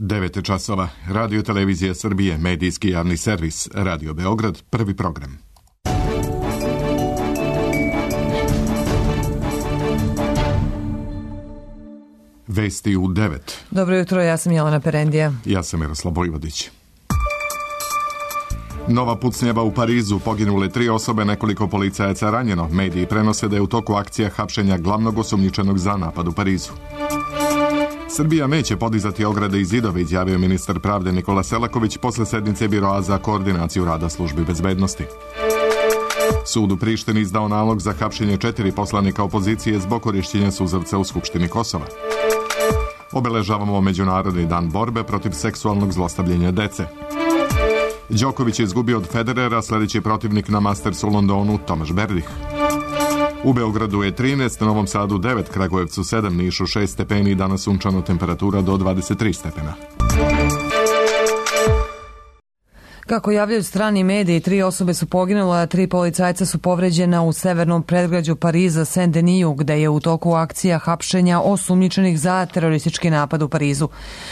9 časova. Radio Televizija Srbije, medijski javni servis, Radio Beograd, prvi program. Vesti u 9. Dobro jutro, ja sam Jelena Perendija. Ja sam Miroslav Vojvodić. Nova pucnjava u Parizu, poginule 3 osobe, nekoliko policajaca ranjeno. Mediji prenose da je u toku akcija hapšenja glavnog osumnjičenog za napad u Parizu. Srbija neće podizati ograde i zidove, izjavio ministar pravde Nikola Selaković posle sednice Biroa za koordinaciju rada službi bezbednosti. Sud u Prištini izdao nalog za hapšenje 4 poslanika opozicije zbog korišćenja suzavca u Skupštini Kosova. Obeležavamo Međunarodni dan borbe protiv seksualnog zlostavljanja dece. Đoković je izgubio od Federera, sledeći protivnik na Mastersu u Londonu, Tomaš Berdih. U Beogradu je 13, Novom Sadu 9, Kragujevcu 7, Nišu 6 stepeni i danas sunčano, temperatura do 23 stepena. Kako javljaju strani mediji, 3 osobe su poginule, a 3 policajca su povređena u severnom predgrađu Pariza, Saint-Denis, gde je u toku akcija hapšenja osumnjičenih za teroristički napad u Parizu.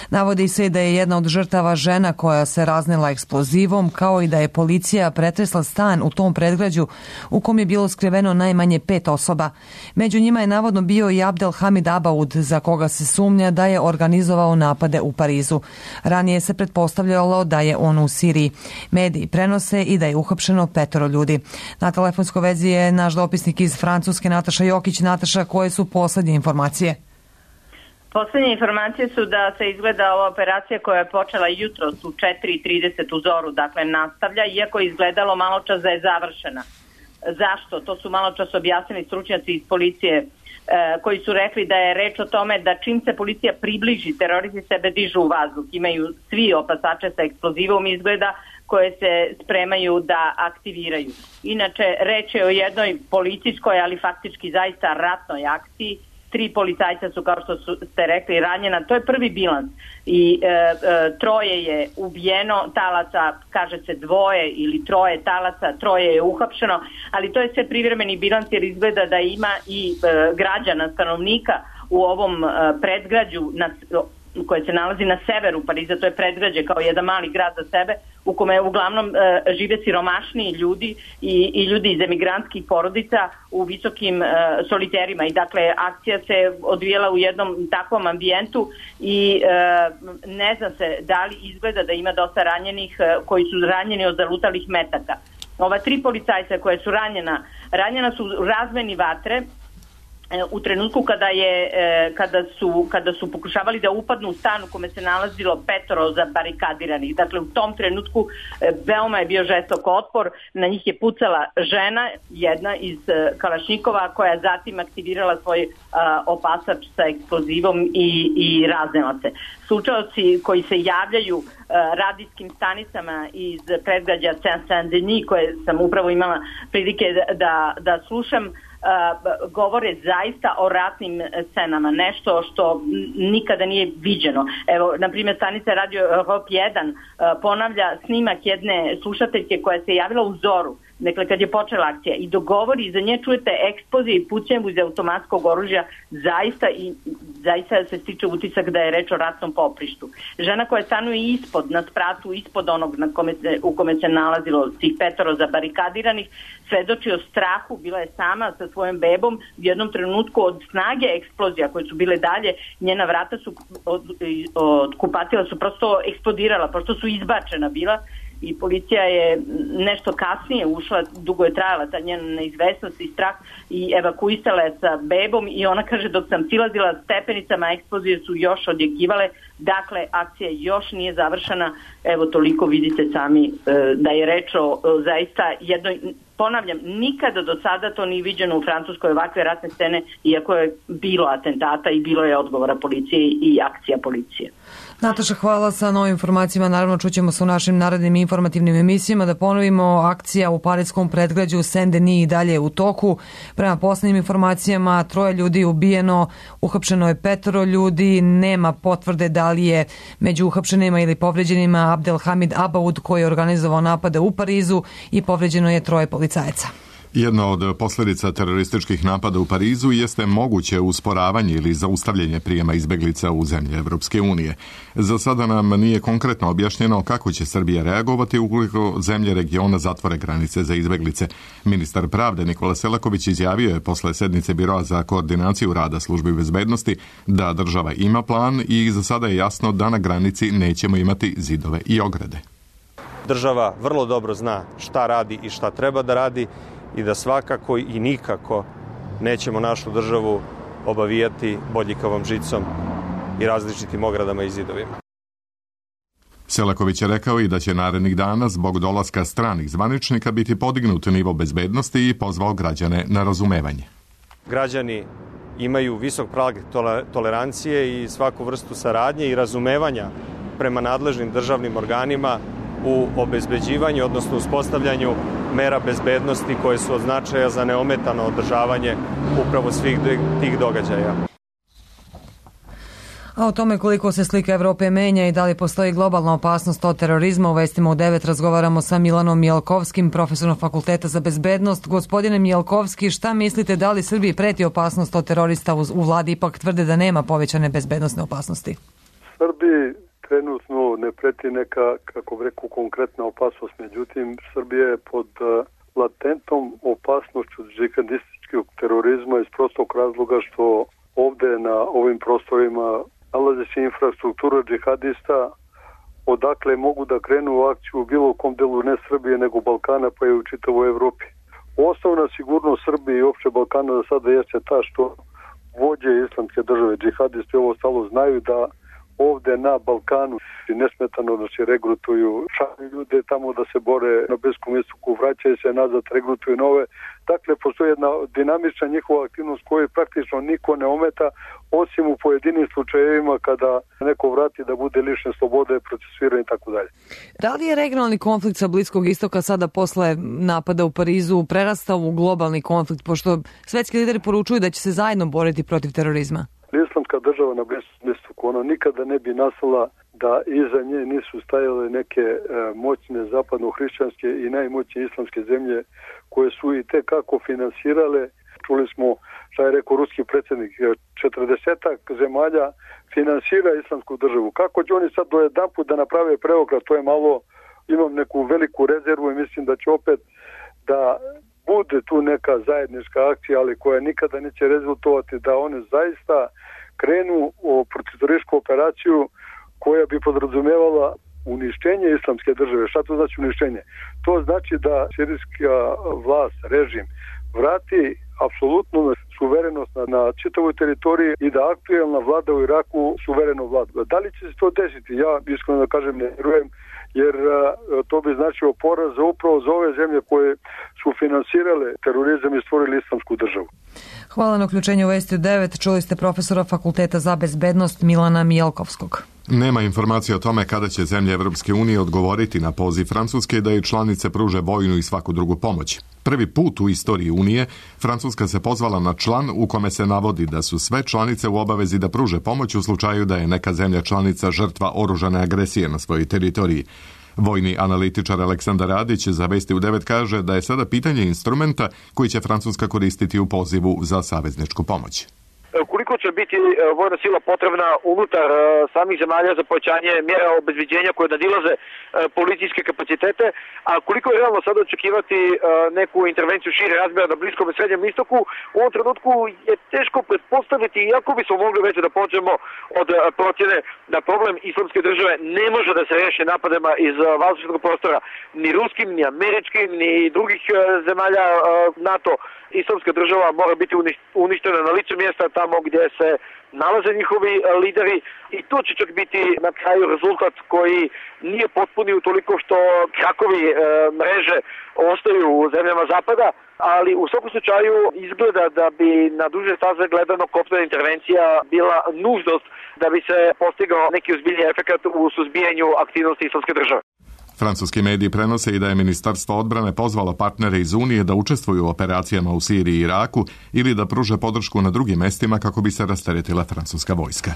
Navodi se da je jedna od žrtava žena koja se raznela eksplozivom, kao i da je policija pretresla stan u tom predgrađu u kom je bilo skriveno najmanje 5 osoba. Među njima je navodno bio i Abdel Hamid Abaoud, za koga se sumnja da je organizovao napade u Parizu. Ranije se pretpostavljalo da je on u Siriji. Mediji prenose i da je uhapšeno 5 ljudi. Na telefonskoj vezi je naš dopisnik iz Francuske, Nataša Jokić. Nataša, koje su poslednje informacije? Poslednje informacije su da se izgleda ova operacija koja je počela jutros u 4:30 u zoru, dakle nastavlja, iako je izgledalo malo čas da je završena. Zašto? To su malo čas objasnili stručnjaci iz policije koji su rekli da je reč o tome da čim se policija približi, teroristi sebe dižu u vazduh. Imaju svi opasače sa eksplozivom izgleda koje se spremaju da aktiviraju. Inače, reč je o jednoj policijskoj, ali faktički zaista ratnoj akciji. 3 policajca su, kao što ste rekli, ranjena. To je prvi bilans. I 3 je ubijeno, talaca, kaže se 2 ili 3 talaca, 3 je uhapšeno, ali to je sve privremeni bilans jer izgleda da ima i građana, stanovnika u ovom predgrađu koje se nalazi na severu Pariza. To je predgrađe kao jedan mali grad za sebe u kome uglavnom žive siromašniji ljudi i ljudi iz emigrantskih porodica u visokim soliterima. I dakle, akcija se odvijela u jednom takvom ambijentu i ne zna se da li izgleda da ima dosta ranjenih koji su ranjeni od zalutalih metaka. Ova 3 policajca koje su ranjena su u razmeni vatre u trenutku kada su pokušavali da upadnu u stan u kome se nalazilo 5 zabarikadiranih. Dakle, u tom trenutku veoma je bio žestok otpor. Na njih je pucala žena, jedna iz Kalašnikova, koja zatim aktivirala svoj opasač sa eksplozivom i raznela se. Slučaoci koji se javljaju radijskim stanicama iz predgrađa Saint-Denis, koje sam upravo imala prilike da slušam, govore zaista o ratnim scenama, nešto što nikada nije viđeno. Evo, na primjer, stanica Radio Europe 1 ponavlja snimak jedne slušateljke koja se javila u zoru, dakle kad je počela akcija, i dogovori, iza nje čujete eksplozije i pucnjavu iz automatskog oružja, zaista se stiče utisak da je reč o ratnom poprištu. Žena koja stanuje na spratu ispod onog u kome se nalazilo tih 5 zabarikadiranih, svedoči o strahu, bila je sama sa svojom bebom, u jednom trenutku od snage eksplozija koje su bile dalje, njena vrata su od kupatila su prosto eksplodirala, prosto su izbačena bila. I policija je nešto kasnije ušla, dugo je trajala ta njena neizvesnost i strah, i evakuisala je sa bebom, i ona kaže, dok sam silazila stepenicama, eksplozije su još odjekivale. Dakle, akcija još nije završena. Evo, toliko vidite sami da je reč o zaista jednoj, ponavljam, nikada do sada to nije viđeno u Francuskoj, ovakve ratne scene, iako je bilo atentata i bilo je odgovora policije i akcija policije. Nataša, hvala sa novim informacijama. Naravno, čućemo se u našim narednim informativnim emisijama. Da ponovimo, akcija u pariskom predgrađu Saint-Denis i dalje u toku. Prema poslednjim informacijama, 3 ljudi ubijeno, uhapšeno je 5 ljudi, nema potvrde da li je među uhapšenima ili povređenima Abdel Hamid Abaoud, koji je organizovao napade u Parizu, i povređeno je 3 policajaca. Jedna od posljedica terorističkih napada u Parizu jeste moguće usporavanje ili zaustavljanje prijema izbjeglica u zemlje Evropske unije. Za sada nam nije konkretno objašnjeno kako će Srbija reagovati ukoliko zemlje regiona zatvore granice za izbjeglice. Ministar pravde Nikola Selaković izjavio je posle sednice Biroa za koordinaciju rada službi bezbednosti da država ima plan i za sada je jasno da na granici nećemo imati zidove i ograde. Država vrlo dobro zna šta radi i šta treba da radi i da svakako i nikako nećemo našu državu obavijati bodljikavom žicom i različitim ogradama i zidovima. Selaković je rekao i da će narednih dana zbog dolaska stranih zvaničnika biti podignut nivo bezbednosti i pozvao građane na razumevanje. Građani imaju visok prag tolerancije i svaku vrstu saradnje i razumevanja prema nadležnim državnim organima u obezbeđivanju, odnosno uspostavljanju mera bezbednosti koje su od značaja za neometano održavanje upravo svih tih događaja. A o tome koliko se slika Evrope menja i da li postoji globalna opasnost od terorizma u Vestima u 9 razgovaramo sa Milanom Mijalkovskim, profesorom Fakulteta za bezbednost. Gospodine Mijalkovski, šta mislite, da li Srbiji preti opasnost od terorista? U vladi ipak tvrde da nema povećane bezbednosne opasnosti. Srbiji trenutno ne preti neka, kako bi rekao, konkretna opasnost. Međutim, Srbija je pod latentnom opasnošću džihadističkog terorizma iz prostog razloga što ovde na ovim prostorima nalazi se infrastruktura džihadista odakle mogu da krenu u akciju u bilo kom delu ne Srbije nego Balkana pa i u čitavoj Evropi. Osnovna sigurnost Srbije i uopšte Balkana za sada jeste ta što vođe islamske države, džihadisti ovo stalo znaju da ovde na Balkanu i nesmetano da se regrutuju, šalju ljude tamo da se bore na Bliskom istoku, vraćaju se nazad, regrutuju nove. Dakle, postoji jedna dinamična njihova aktivnost koju praktično niko ne ometa, osim u pojedinim slučajevima kada neko vrati da bude lišen slobode, procesuiran i tako dalje. Da li je regionalni konflikt sa Bliskog istoka sada posle napada u Parizu prerastao u globalni konflikt, pošto svetski lideri poručuju da će se zajedno boriti protiv terorizma? Islamska država na Bliskom istoku, ona nikada ne bi nastala da iza nje nisu stajale neke moćne zapadno-hrišćanske i najmoćnije islamske zemlje koje su i tekako finansirale. Čuli smo šta je rekao ruski predsjednik, 40-ak zemalja finansira islamsku državu. Kako će oni sad dojedanput da naprave preokret, to je malo, imam neku veliku rezervu i mislim da će opet da bude tu neka zajednička akcija, ali koja nikada neće rezultovati da one zaista krenu u protivterorističku operaciju koja bi podrazumevala uništenje islamske države. Šta to znači uništenje? To znači da sirijska vlast, režim, vrati apsolutnu suverenost na čitavoj teritoriji i da aktuelna vlada u Iraku suvereno vlada. Da li će se to desiti? Ja iskreno da kažem ne vjerujem, jer to bi značilo poraz upravo za ove zemlje koje su finansirale terorizam i stvorili islamsku državu. Hvala na uključenju u Vesti 9. Čuli ste profesora Fakulteta za bezbednost Milana Mijalkovskog. Nema informacije o tome kada će zemlje Evropske unije odgovoriti na poziv Francuske da i članice pruže vojnu i svaku drugu pomoć. Prvi put u istoriji Unije Francuska se pozvala na član u kome se navodi da su sve članice u obavezi da pruže pomoć u slučaju da je neka zemlja članica žrtva oružane agresije na svojoj teritoriji. Vojni analitičar Aleksandar Radić za Vesti u 9 kaže da je sada pitanje instrumenta koji će Francuska koristiti u pozivu za savezničku pomoć. Koliko će biti vojna sila potrebna unutar samih zemalja za povećanje mjera obezbeđenja koje nadilaze policijske kapacitete, a koliko je realno sada očekivati neku intervenciju šire razmjera na Bliskom i Srednjem istoku, u ovom trenutku je teško pretpostaviti, iako bismo mogli već da pođemo od procjene da problem islamske države ne može da se reši napadima iz vazdušnog prostora, ni ruskim, ni američkim, ni drugih zemalja NATO. Islamska država mora biti uništena na licu mjesta tamo gdje se nalaze njihovi lideri i to će čak biti na kraju rezultat koji nije potpuni utoliko što krakovi mreže ostaju u zemljama zapada, ali u svakom slučaju izgleda da bi na duže staze gledano kopnena intervencija bila nužnost da bi se postigao neki ozbiljni efekat u suzbijanju aktivnosti islamske države. Francuski mediji prenose i da je Ministarstvo odbrane pozvalo partnere iz Unije da učestvuju u operacijama u Siriji i Iraku ili da pruže podršku na drugim mestima kako bi se rasteretila francuska vojska.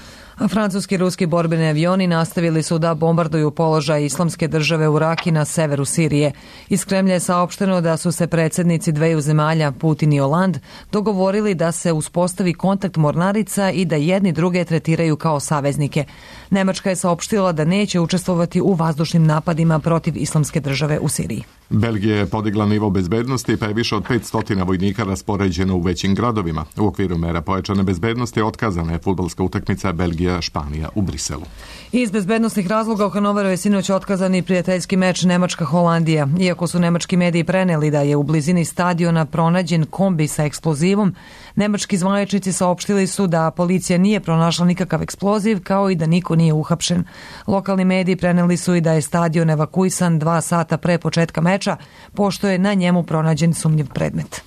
Francuski i ruski borbeni avioni nastavili su da bombarduju položaj Islamske države u Raki na severu Sirije. Iz Kremlja je saopšteno da su se predsjednici dveju zemalja, Putin i Hollande, dogovorili da se uspostavi kontakt mornarica i da jedni druge tretiraju kao saveznike. Nemačka je saopštila da neće učestvovati u vazdušnim napadima protiv Islamske države u Siriji. Belgija je podigla nivo bezbednosti pa je više od 500 vojnika raspoređeno u većim gradovima. U okviru mera pojačane bezbednosti otkazana je fudbalska utakmica Belgija-Španija u Briselu. Iz bezbednostnih razloga u Hanoveru je sinoć otkazan i prijateljski meč Nemačka-Holandija. Iako su nemački mediji preneli da je u blizini stadiona pronađen kombi sa eksplozivom, nemački zvaničnici saopštili su da policija nije pronašla nikakav eksploziv, kao i da niko nije uhapšen. Lokalni mediji preneli su i da je stadion evakuisan 2 sata pre početka meča, pošto je na njemu pronađen sumnjiv predmet.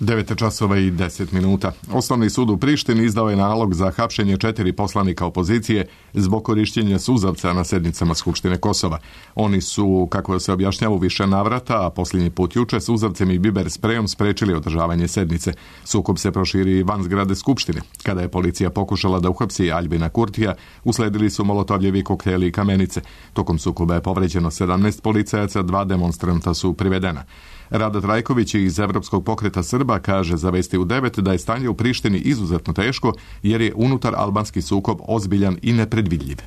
9:10. Osnovni sud u Prištini izdao je nalog za hapšenje 4 poslanika opozicije zbog korišćenja suzavca na sednicama Skupštine Kosova. Oni su, kako se objašnjava, u više navrata, a posljednji put juče, suzavcem i biber sprejom sprečili održavanje sednice. Sukob se proširi van zgrade Skupštine. Kada je policija pokušala da uhapsi Aljbina Kurtija, usledili su molotovljevi kokteli i kamenice. Tokom sukoba je povređeno 17 policajaca, 2 demonstranta su privedena. Rada Trajković iz Evropskog pokreta Srba kaže za Vesti u 9 da je stanje u Prištini izuzetno teško jer je unutar albanski sukob ozbiljan i nepredvidljiv.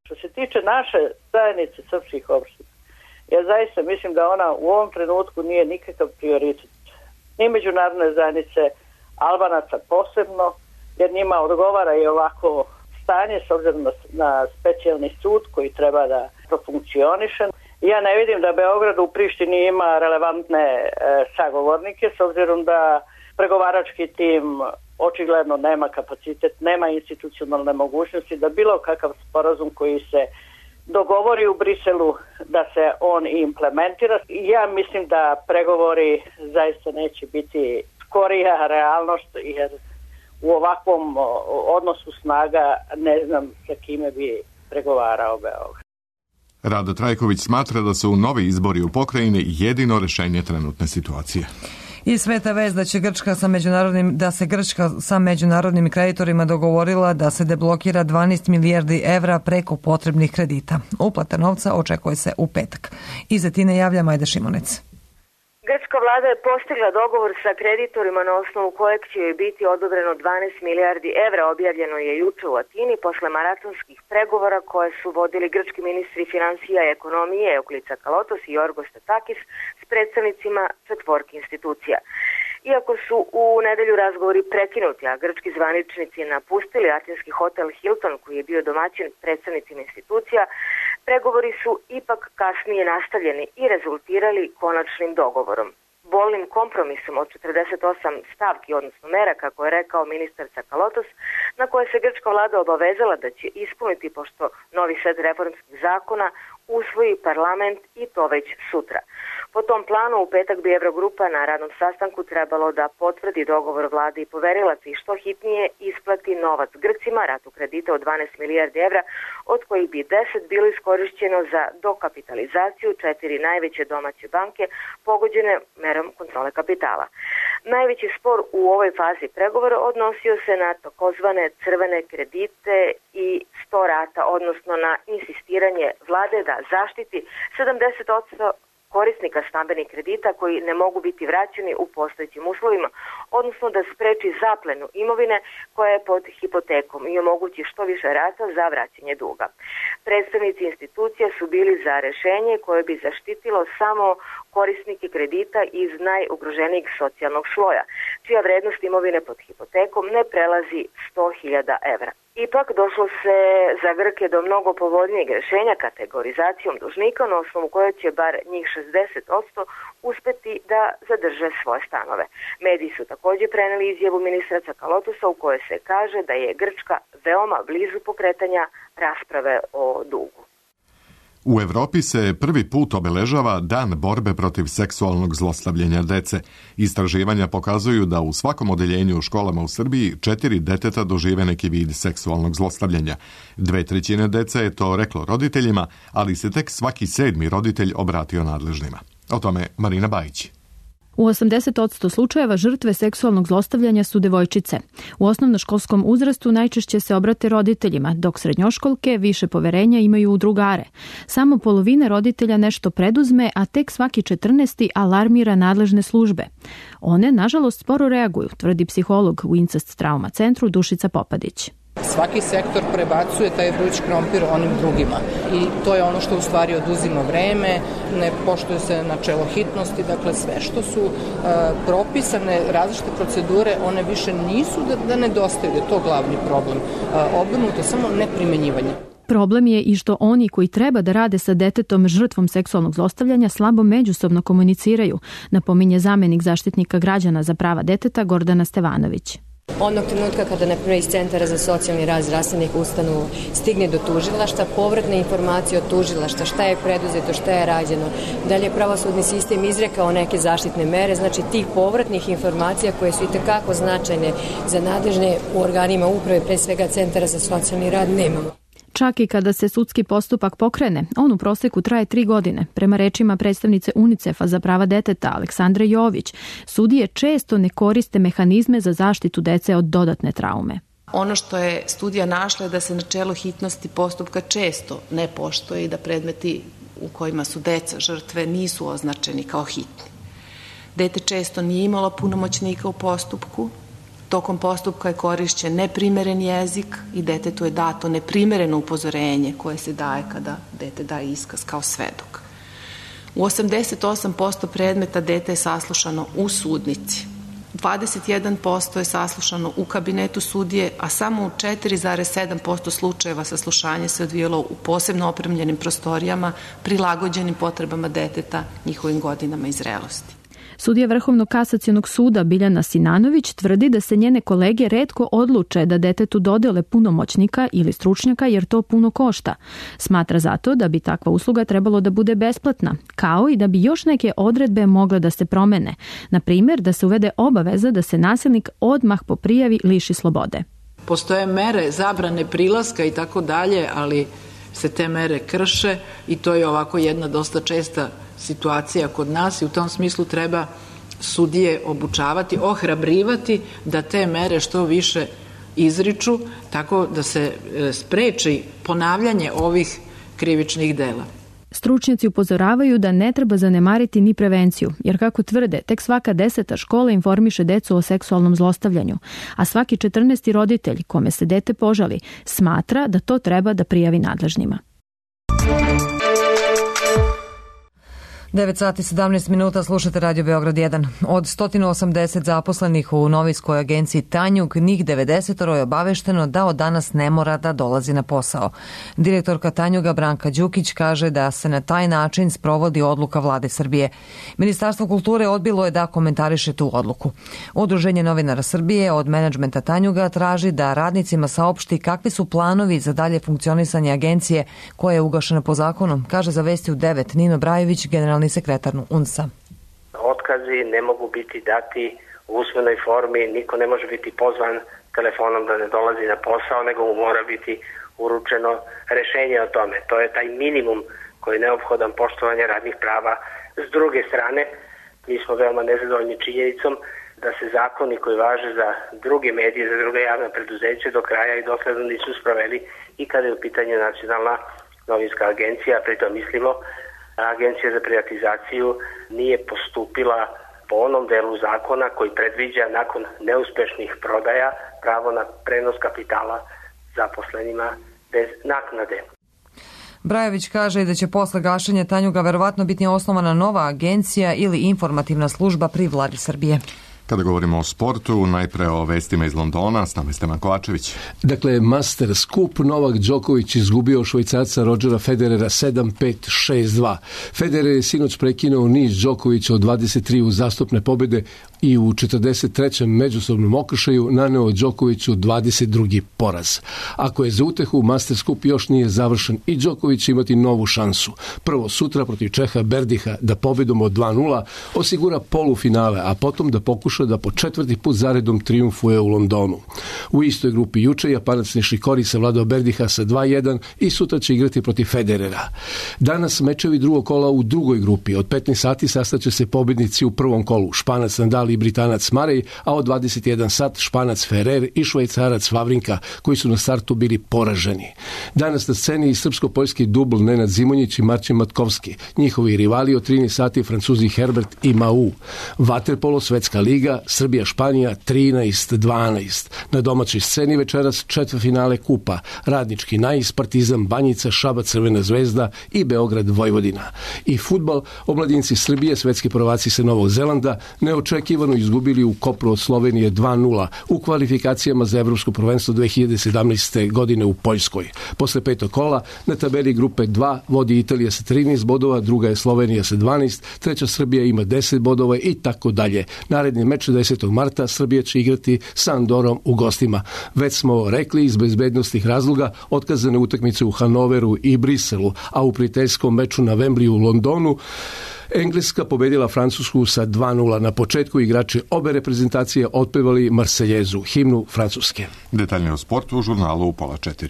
Što se tiče naše zajednice srpskih opština, ja zaista mislim da ona u ovom trenutku nije nikakav prioritet. Ni međunarodne zajednice, Albanaca posebno, jer njima odgovara i ovako stanje s obzirom na specijalni sud koji treba da profunkcioniše. Ja ne vidim da Beograd u Prištini ima relevantne sagovornike, s obzirom da pregovarački tim očigledno nema kapacitet, nema institucionalne mogućnosti da bilo kakav sporazum koji se dogovori u Briselu da se on implementira. Ja mislim da pregovori zaista neće biti skorija realnost, jer u ovakvom odnosu snaga ne znam sa kime bi pregovarao Beograd. Rada Trajković smatra da su novi izbori u pokrajini jedino rešenje trenutne situacije. I sveta vest da se Grčka sa međunarodnim kreditorima dogovorila da se deblokira 12 milijardi evra preko potrebnih kredita. Uplata novca očekuje se u petak. Iz Atine javlja Majda Šimonec. Grčka vlada je postigla dogovor sa kreditorima na osnovu kojeg će joj biti odobreno 12 milijardi evra. Objavljeno je juče u Atini posle maratonskih pregovora koje su vodili grčki ministri financija i ekonomije Euklis Tsakalotos i Yorgos Statakis s predstavnicima četvorki institucija. Iako su u nedelju razgovori prekinuti, a grčki zvaničnici napustili atinski hotel Hilton koji je bio domaćin predstavnicima institucija, pregovori su ipak kasnije nastavljeni i rezultirali konačnim dogovorom. Bolnim kompromisom od 48 stavki, odnosno mera, kako je rekao ministar Tsakalotos, na koje se grčka vlada obavezala da će ispuniti pošto novi set reformskih zakona usvoji parlament i to već sutra. Po tom planu u petak bi Evrogrupa na radnom sastanku trebalo da potvrdi dogovor vlade i poverilaca i što hitnije isplati novac Grcima, ratu kredita od 12 milijardi evra, od kojih bi 10 bilo iskorišćeno za dokapitalizaciju 4 najveće domaće banke pogođene merom kontrole kapitala. Najveći spor u ovoj fazi pregovora odnosio se na takozvane crvene kredite i 100 rata, odnosno na insistiranje vlade da zaštiti 70% korisnika stambenih kredita koji ne mogu biti vraćeni u postojećim uslovima, odnosno da spreči zaplenu imovine koja je pod hipotekom i omogući što više rata za vraćanje duga. Predstavnici institucija su bili za rešenje koje bi zaštitilo samo korisnike kredita iz najugroženijeg socijalnog sloja, čija vrednost imovine pod hipotekom ne prelazi 100.000 evra. Ipak došlo se za Grke do mnogo povoljnijeg rešenja kategorizacijom dužnika na osnovu koje će bar njih 60% uspeti da zadrže svoje stanove. Mediji su također preneli izjavu ministra Tsakalotosa u kojoj se kaže da je Grčka veoma blizu pokretanja rasprave o dugu. U Evropi se prvi put obeležava Dan borbe protiv seksualnog zlostavljanja dece. Istraživanja pokazuju da u svakom odeljenju u školama u Srbiji 4 deteta dožive neki vid seksualnog zlostavljanja. 2/3 dece je to reklo roditeljima, ali se tek svaki 7. roditelj obratio nadležnima. O tome Marina Bajić. U 80% slučajeva žrtve seksualnog zlostavljanja su devojčice. U osnovnoškolskom uzrastu najčešće se obrate roditeljima, dok srednjoškolke više poverenja imaju u drugare. Samo polovina roditelja nešto preduzme, a tek svaki 14. alarmira nadležne službe. One, nažalost, sporo reaguju, tvrdi psiholog u Incest Trauma centru Dušica Popadić. Svaki sektor prebacuje taj vruć krompir onim drugima i to je ono što u stvari oduzima vreme, ne poštuje se načelo hitnosti, dakle sve što su propisane različite procedure, one više nisu da nedostaju, da je to glavni problem. Obrnuto, samo neprimenjivanje. Problem je i što oni koji treba da rade sa detetom žrtvom seksualnog zlostavljanja slabo međusobno komuniciraju, napominje zamenik zaštitnika građana za prava deteta Gordana Stevanović. Onog trenutka kada na prvi iz centara za socijalni rad zdravstvenih ustanova stigne do tužilaštva, povratne informacije od tužilaštva, šta je preduzeto, šta je rađeno, da li je pravosudni sistem izrekao neke zaštitne mere, znači tih povratnih informacija koje su itekako značajne za nadležne u organima uprave, pre svega centara za socijalni rad, nemamo. Čak i kada se sudski postupak pokrene, on u proseku traje 3 godine. Prema rečima predstavnice UNICEF-a za prava deteta Aleksandre Jović, sudije često ne koriste mehanizme za zaštitu dece od dodatne traume. Ono što je studija našla je da se načelo hitnosti postupka često ne poštuje i da predmeti u kojima su deca žrtve nisu označeni kao hitni. Dete često nije imalo punomoćnika u postupku. Tokom postupka je korišćen neprimeren jezik i detetu je dato neprimereno upozorenje koje se daje kada dete daje iskaz kao svedok. U 88% predmeta dete je saslušano u sudnici. 21% je saslušano u kabinetu sudije, a samo u 4,7% slučajeva saslušanje se odvijalo u posebno opremljenim prostorijama prilagođenim potrebama deteta, njihovim godinama i zrelosti. Sudija Vrhovnog kasacionog suda Biljana Sinanović tvrdi da se njene kolege retko odluče da detetu dodele punomoćnika ili stručnjaka jer to puno košta. Smatra zato da bi takva usluga trebalo da bude besplatna, kao i da bi još neke odredbe mogle da se promene. Na primjer, da se uvede obaveza da se nasilnik odmah po prijavi liši slobode. Postoje mere zabrane prilaska i tako dalje, ali se te mere krše i to je ovako jedna dosta česta situacija kod nas i u tom smislu treba sudije obučavati, ohrabrivati da te mere što više izriču tako da se spreči ponavljanje ovih krivičnih dela. Stručnjaci upozoravaju da ne treba zanemariti ni prevenciju, jer kako tvrde, tek svaka 10. škola informiše decu o seksualnom zlostavljanju, a svaki 14. roditelj kome se dete požali smatra da to treba da prijavi nadležnima. 9 sati 17 minuta, slušate Radio Beograd 1. Od 180 zaposlenih u novinskoj agenciji Tanjug, njih 90 je obavešteno da od danas ne mora da dolazi na posao. Direktorka Tanjuga Branka Đukić kaže da se na taj način sprovodi odluka Vlade Srbije. Ministarstvo kulture odbilo je da komentariše tu odluku. Udruženje novinara Srbije od menadžmenta Tanjuga traži da radnicima saopšti kakvi su planovi za dalje funkcionisanje agencije koja je ugašena po zakonu, kaže za Vesti u 9 Nino Brajević, generalni sekretar UNS-a. Otkazi ne mogu biti dati u usmenoj formi, niko ne može biti pozvan telefonom da ne dolazi na posao, nego mu mora biti uručeno rešenje o tome. To je taj minimum koji je neophodan poštovanje radnih prava. S druge strane, mi smo veoma nezadovoljni činjenicom da se zakoni koji važe za druge medije, za druga javna preduzeća do kraja i dosledno nisu sproveli i kada je u pitanju Nacionalna novinska agencija, pritom mislimo Agencija za privatizaciju nije postupila po onom delu zakona koji predviđa nakon neuspešnih prodaja pravo na prenos kapitala zaposlenima bez naknade. Brajević kaže da će posle gašenja Tanjuga verovatno biti osnovana nova agencija ili informativna služba pri Vladi Srbije. Kada govorimo o sportu, najpre o vestima iz Londona, s nama je Stevan Kovačević. Dakle, Masters Cup, Novak Đoković izgubio Švajcarca Rodgera Federera 7-5-6-2. Federer je sinoć prekinuo niz Đokovića od 23 uzastopne pobjede i u 43. međusobnom okršaju naneo Đokoviću 22. poraz. Ako je za utehu, Masters Cup još nije završen i Đoković će imati novu šansu. Prvo sutra protiv Čeha Berdiha da pobjedom od 2-0 osigura polufinale, a potom da pokuša da po 4. put zaredom trijumfuje u Londonu. U istoj grupi juče Japanac Nishikori savladao Berdiha sa 2-1 i sutra će igrati protiv Federera. Danas mečevi drugog kola u drugoj grupi. Od 15 sati sastaće se pobjednici u prvom kolu, Španac Nadal i Britanac Marej, a od 21 sat Španac Ferrer i Švajcarac Vavrinka, koji su na startu bili poraženi. Danas na sceni i srpsko-poljski dubl Nenad Zimonjić i Marcin Matkovski. Njihovi rivali od 13 sati Francuzi Herbert i Mau. Vaterpolo Svetska liga, Srbija-Španija 13-12. Na domaćoj sceni večeras četvrtfinale kupa, Radnički Nais, Partizan Banjica, Šabac Crvena zvezda i Beograd Vojvodina. I fudbal, omladinci Srbije, svetski prvaci sa Novog Zelanda, neočekivano izgubili u Kopru od Slovenije 2-0 u kvalifikacijama za Evropsko prvenstvo 2017. godine u Poljskoj. Posle petog kola na tabeli grupe 2 vodi Italija sa 13 bodova, druga je Slovenija sa 12, treća Srbija ima 10 bodova i tako dalje. Naredni meč 10. marta Srbija će igrati sa Andorom u gostima. Već smo rekli, iz bezbednostnih razloga otkazane utakmice u Hanoveru i Briselu, a u prijateljskom meču na Wembley u Londonu Engleska pobedila Francusku sa 2-0. Na početku igrači obe reprezentacije otpevali Marseljezu, himnu Francuske. Detaljnije o sportu u žurnalu u 3:30.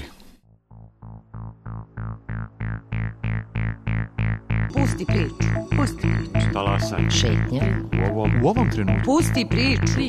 Pusti priču. Pusti priču. Talasaj. Šetnja. U ovom trenutku. Pusti priču.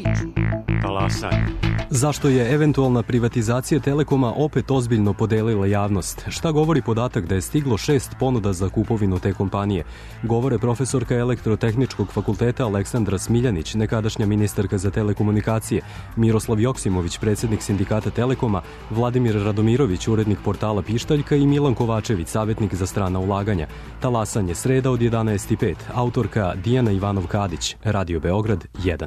Talasaj. Zašto je eventualna privatizacija Telekoma opet ozbiljno podelila javnost? Šta govori podatak da je stiglo 6 ponuda za kupovinu te kompanije? Govore profesorka Elektrotehničkog fakulteta Aleksandra Smiljanić, nekadašnja ministarka za telekomunikacije, Miroslav Joksimović, predsjednik sindikata Telekoma, Vladimir Radomirović, urednik portala Pištaljka i Milan Kovačević, savjetnik za strana ulaganja. Talasanje, sreda od 11:05. Autorka Dijana Ivanov-Kadić, Radio Beograd 1.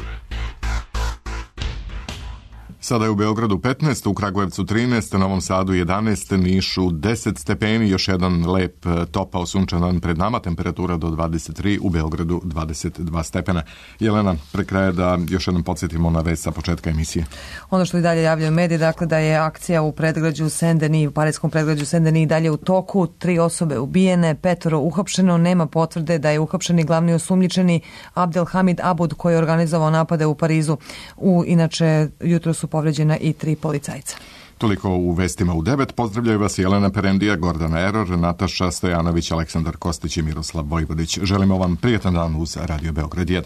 Sada je u Beogradu 15, u Kragujevcu 13, u Novom Sadu 11, Nišu 10 stepeni, još jedan lep topao sunčan dan pred nama, temperatura do 23, u Beogradu 22 stepena. Jelena, pre kraja da još jednom podsjetimo na vest sa početka emisije. Ono što i dalje javljaju mediji, dakle da je akcija u predgrađu Saint-Denis, u parijskom predgrađu Saint-Denis dalje u toku, 3 osobe ubijene, 5 uhapšeno, nema potvrde da je uhapšeni glavni osumnjičeni Abdelhamid Abud koji je organizovao napade u Parizu. Inače, jutro su povređena i 3 policajca. Toliko u vestima u 9. Pozdravljaju vas Jelena Perendija, Gordana Eror, Nataša Stojanović, Aleksandar Kostić i Miroslav Vojvodić. Želimo vam prijetan dan uz Radio Beograd 1.